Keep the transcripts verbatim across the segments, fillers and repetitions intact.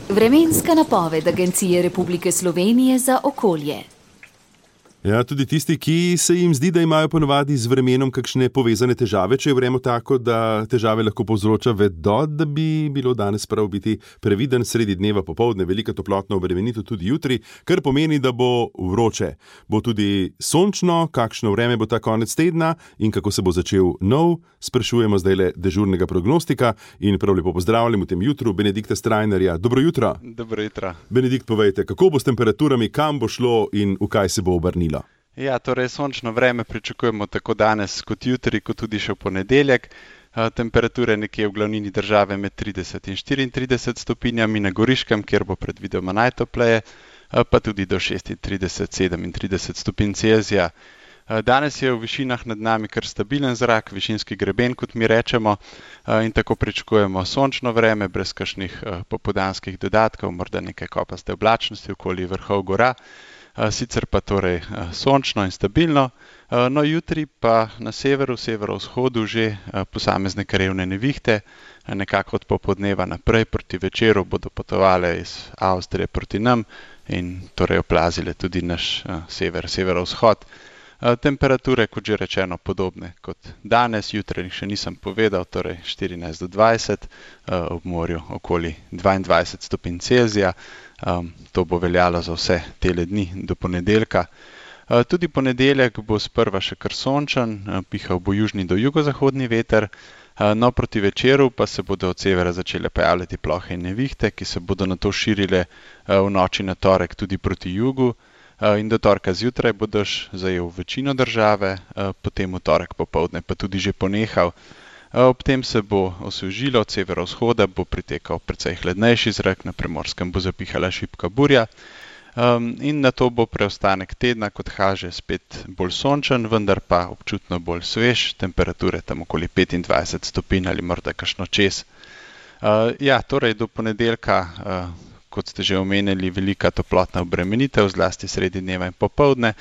Vremenska napoved Agencije Republike Slovenije za okolje. Ja, tudi tisti, ki se jim zdi, da imajo ponovadi z vremenom kakšne povezane težave, če je vreme tako, da težave lahko povzroča, vedo, da bi bilo danes prav biti previden sredi dneva popoldne, velika toplotna obremenitev tudi jutri, kar pomeni, da bo vroče. Bo tudi sončno, kakšno vreme bo ta konec tedna in kako se bo začel nov, sprašujemo zdajle dežurnega prognostika in prav lepo pozdravljam v tem jutru Benedikta Strajnarja. Dobro jutro. Dobro jutro. Benedikt, povejte, kako bo s temperaturami, kam bo šlo in v kaj se bo obrnilo? Ja, torej sončno vreme pričakujemo tako danes kot jutri, kot tudi še v ponedeljek. Temperature nekje v glavnini države med trideset in štiriintrideset stopinjami, na Goriškem, kjer bo predvidoma najtopleje, pa tudi do šestintrideset, sedemintrideset stopinj Celzija. Danes je v višinah nad nami kar stabilen zrak, višinski greben, kot mi rečemo, in tako pričakujemo sončno vreme, brez kakšnih popoldanskih dodatkov, morda nekaj kopaste oblačnosti okoli vrhov gora. Sicer pa torej sončno in stabilno, no jutri pa na severu, severovzhodu že posamezne krajevne nevihte, nekako od popoldneva naprej proti večeru bodo potovale iz Avstrije proti nam in torej oplazile tudi naš sever, severovzhod. Temperature, kot že rečeno, podobne kot danes, jutri še nisem povedal, torej štirinajst do dvajset, ob morju okoli dvaindvajset stopinj Celzija. Um, to bo veljalo za vse tele dni do ponedeljka. Uh, tudi ponedeljek bo sprva še kar sončen, uh, pihal bo južni do jugozahodni veter, uh, no proti večeru pa se bodo od severa začele pojavljati plohe in nevihte, ki se bodo nato širile uh, v noči na torek tudi proti jugu uh, in do torka zjutraj bo dež zajel večino države, uh, potem v torek popoldne pa tudi že ponehal. Ob tem se bo osvežilo, od severovzhoda bo pritekal precej hladnejši zrak, na Primorskem bo zapihala šibka burja um, in nato bo preostanek tedna, kot kaže, spet bolj sončen, vendar pa občutno bolj svež, temperature tam okoli petindvajset stopinj ali morda kakšno čez. Uh, ja, torej do ponedeljka, uh, kot ste že omenili, velika toplotna obremenitev, zlasti sredi dneva in popoldne.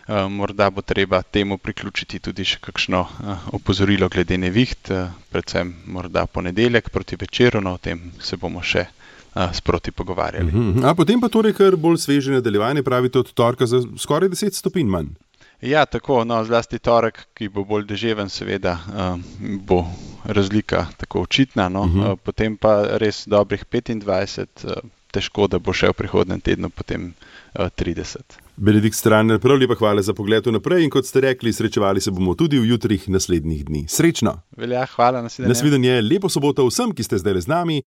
Uh, morda bo treba temu priključiti tudi še kakšno uh, opozorilo glede neviht, uh, predvsem morda ponedeljek proti večeru, no o tem se bomo še uh, sproti pogovarjali. Uh-huh. A potem pa torej kar bolj sveže nadaljevanje, pravite od torka za skoraj deset stopinj manj. Ja, tako, no zlasti torek, ki bo bolj deževen, seveda uh, bo razlika tako očitna, no, uh-huh. uh, potem pa res dobrih petindvajset, uh, težko, da bo še v prihodnem tednu potem uh, trideset. Benedikt Strajnar, prav lepa hvala za pogled vnaprej in kot ste rekli, srečevali se bomo tudi v jutrih naslednjih dni. Srečno! Velja, hvala, nasvidenje. Nasvidenje, lepo soboto vsem, ki ste zdaj z nami.